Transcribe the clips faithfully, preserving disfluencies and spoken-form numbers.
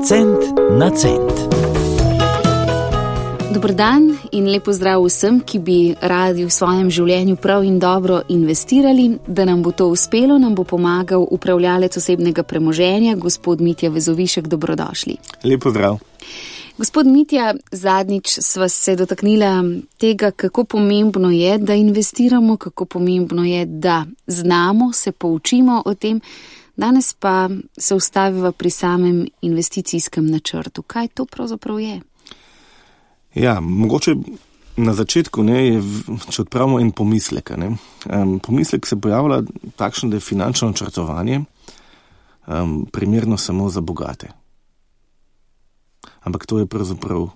Cent na cent. Dober dan in lep pozdrav vsem, ki bi radi v svojem življenju prav in dobro investirali. Da nam bo to uspelo, nam bo pomagal upravljalec osebnega premoženja, gospod Mitja Vezovišek. Dobrodošli. Lep pozdrav. Gospod Mitja, zadnjič sva se dotaknila tega, kako pomembno je, da investiramo, kako pomembno je, da znamo, se poučimo o tem. Danes pa se ustaviva pri samem investicijskem načrtu. Kaj to pravzaprav je? Ja, mogoče na začetku, ne, je, če odpravimo en pomislek. Ne. Um, pomislek se pojavlja takšno, da je finančno načrtovanje um, primerno samo za bogate. Ampak to je pravzaprav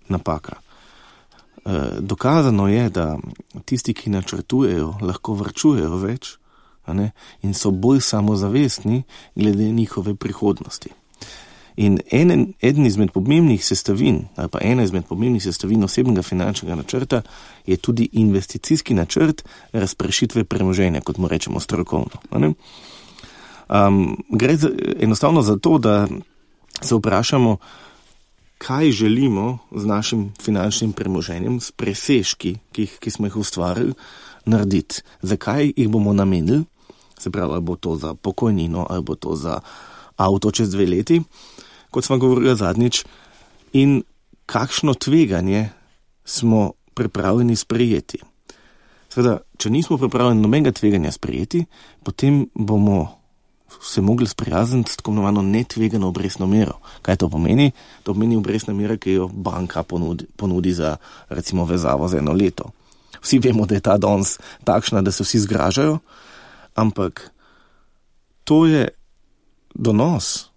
napaka. E, dokazano je, da tisti, ki načrtujejo, lahko varčujejo več, a ne, in so bolj samozavestni glede njihove prihodnosti. In enen, eden izmed pomembnih sestavin, ali pa ena izmed pomembnih sestavin osebnega finančnega načrta je tudi investicijski načrt razpršitve premoženja, kot mu rečemo strokovno. A ne. Um, gre za, enostavno za to, da se vprašamo, kaj želimo z našim finančnim premoženjem, s presežki, ki, ki smo jih ustvarili, narediti. Zakaj jih bomo namenili, se pravi, ali bo to za pokojnino, ali bo to za avto čez dve leti, kot smo govorili zadnjič, in kakšno tveganje smo pripravljeni sprejeti. Seveda, če nismo pripravljeni nobenega tveganja sprejeti, potem bomo se mogli sprijazniti s tako imenovano netvegano obrestno mero. Kaj to pomeni? To pomeni obrestna mera, ki jo banka ponudi, ponudi za recimo vezavo za eno leto. Vsi vemo, da je ta danes takšna, da se vsi zgražajo, ampak to je donos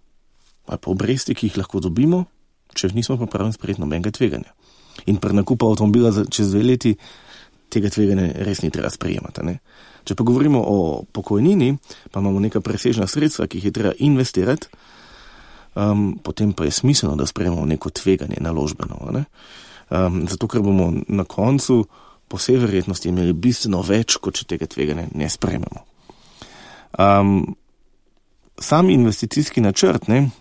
ali pa obresti, ki jih lahko dobimo, če nismo pripravljeni sprejeti nobenega tveganja. In pri nakupu avtomobila za čez dve leti tega tveganja res ni treba sprejemati, ne? Če pa govorimo o pokojnini, pa imamo neka presežna sredstva, ki jih je treba investirati, um, potem pa je smiselno, da sprejemamo neko tveganje naložbeno. Ne? Um, zato, ker bomo na koncu po vsej verjetnosti imeli bistveno več, kot če tega tveganja ne sprejmemo. Um, sam investicijski načrt, ne,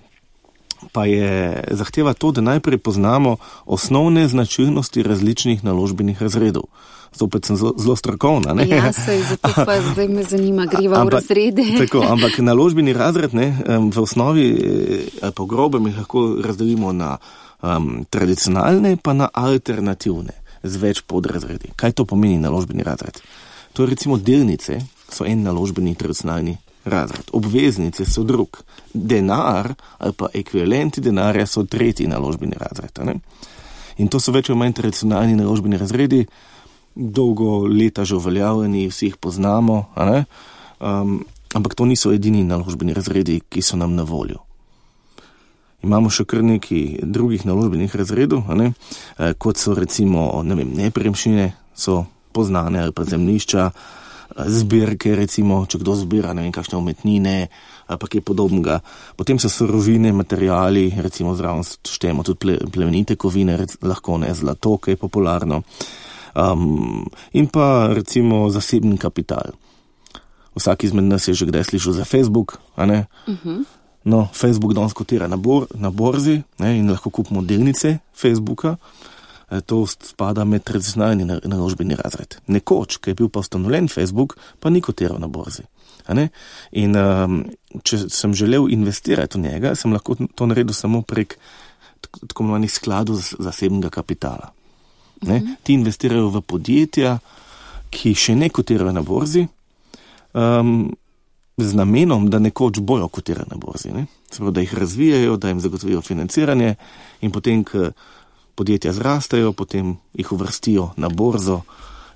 pa je zahteva to, da najprej poznamo osnovne značilnosti različnih naložbenih razredov. Zopet sem zelo, zelo strokovna. Ne? Ja, sej, zato pa zdaj me zanima, greva v razrede. Tako, ampak naložbeni razred, ne, v osnovi ali pa v grobem jih lahko razdelimo na um, tradicionalne pa na alternativne z več podrazredi. Kaj to pomeni naložbeni razred? To je recimo delnice so en naložbeni tradicionalni razred. Obveznice so drug. Denar ali pa ekvivalenti denarja so tretji naložbeni razred. Ne? In to so več ali manj tradicionalni naložbeni razredi, dolgo leta že uveljavljeni, vsi jih poznamo, a ne? Um, ampak to niso edini naložbeni razredi, ki so nam na voljo. Imamo še kar nekaj drugih naložbenih razredov, a ne? E, kot so recimo, ne vem, nepremičnine so poznane ali pa zemljišča, zbirke recimo, če kdo zbira, ne vem, kakšne umetnine ali pa kaj podobnega. Potem so surovine, materiali, recimo zraven štejemo tudi ple, plemenite kovine, rec, lahko ne, zlato, ki je popularno. Um, in pa recimo zasebni kapital. Vsak izmed nas je že kdaj slišal za Facebook, a ne? Uh-huh. No, Facebook danes kotira na, bor, na borzi, ne, in lahko kupimo delnice Facebooka. E, to spada med tradicionalni naložbeni razred. Nekoč, ki je bil pa ustanovljen Facebook, pa ni kotiral na borzi. A ne? In um, če sem želel investirati v njega, sem lahko to naredil samo prek tako imenovanih skladov zasebnega kapitala. Ne? Ti investirajo v podjetja, ki še ne kotirajo na borzi, um, z namenom, da nekoč bojo kotirali na borzi. Ne? Sprav, da jih razvijajo, da jim zagotovijo financiranje in potem, ko podjetja zrastajo, potem jih uvrstijo na borzo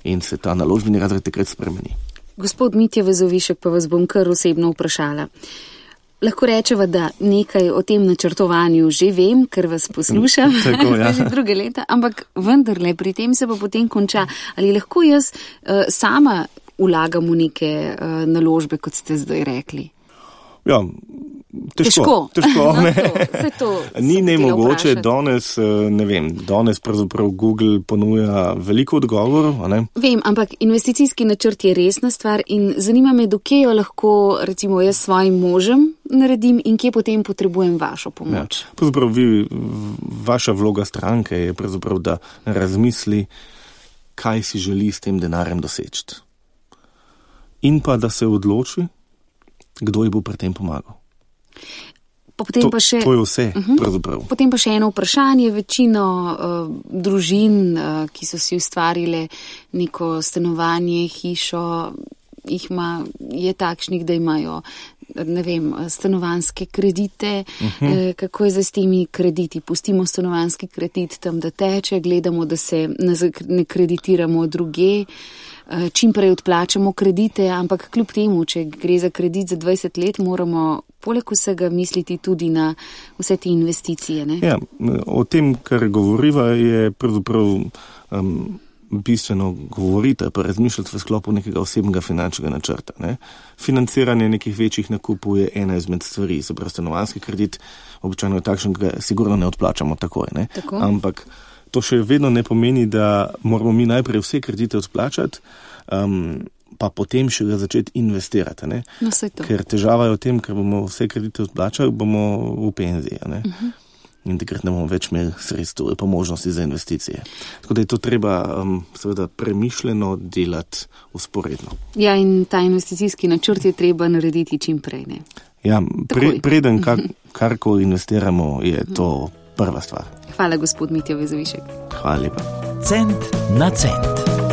in se ta naložbeni razred takrat spremeni. Gospod Mitja Vezovišek, pa vas bom kar osebno vprašala. Lahko rečeva, da nekaj o tem načrtovanju že vem, ker vas poslušam. Tako, ja. Že druge leta, ampak vendarle pri tem se pa potem konča. Ali lahko jaz uh, sama vlagam v neke uh, naložbe, kot ste zdaj rekli? Ja, težko. Težko, težko no, ne. To, to Ni nemogoče, danes, ne vem, danes pravzaprav Google ponuja veliko odgovorov, a ne? Vem, ampak investicijski načrt je resna stvar in zanima me, dokje jo lahko, recimo jaz svojim možem naredim in kje potem potrebujem vašo pomoč. Ja. Pravzaprav vi, vaša vloga stranke je pravzaprav, da razmisli, kaj si želi s tem denarjem doseči. In pa, da se odloči, kdo ji bo pri tem pomagal. Pa potem to, pa še, to je vse, uh-huh. pravzaprav. Potem pa še eno vprašanje. Večino uh, družin, uh, ki so si ustvarile neko stanovanje, hišo, jih ima, je takšnih, da imajo, ne vem, stanovanjske kredite. Uh-huh. uh, kako je zdaj s temi krediti? Pustimo stanovanjski kredit tam, da teče, gledamo, da se ne kreditiramo druge. Čim prej odplačamo kredite, ampak kljub temu, če gre za kredit za dvajset let, moramo poleg vsega misliti tudi na vse te investicije. Ne? Ja, o tem, kar govoriva, je pravzaprav um, bistveno govoriti, pa razmišljati v sklopu nekega osebnega finančnega načrta. Ne? Financiranje nekih večjih nakupov je ena izmed stvari, se pravi stanovanjski kredit, običajno je takšen, ga sigurno ne odplačamo takoj. Ne? Tako? Ampak to še vedno ne pomeni, da moramo mi najprej vse kredite odplačati, um, pa potem še ga začeti investirati. Ne? No, saj to. Ker težava je v tem, ker bomo vse kredite odplačali, bomo v penziji. Ne? Uh-huh. In takrat ne bomo več imeli sredstev, pa možnosti za investicije. Tako da je to treba um, seveda premišljeno delati usporedno. Ja, in ta investicijski načrt je treba narediti čim prej. Ne? Ja, pre, preden kar, karkoli investiramo, je to prva stvar. Hvala, gospod Mitja Vezovišek. Hvala lepa. Cent na cent.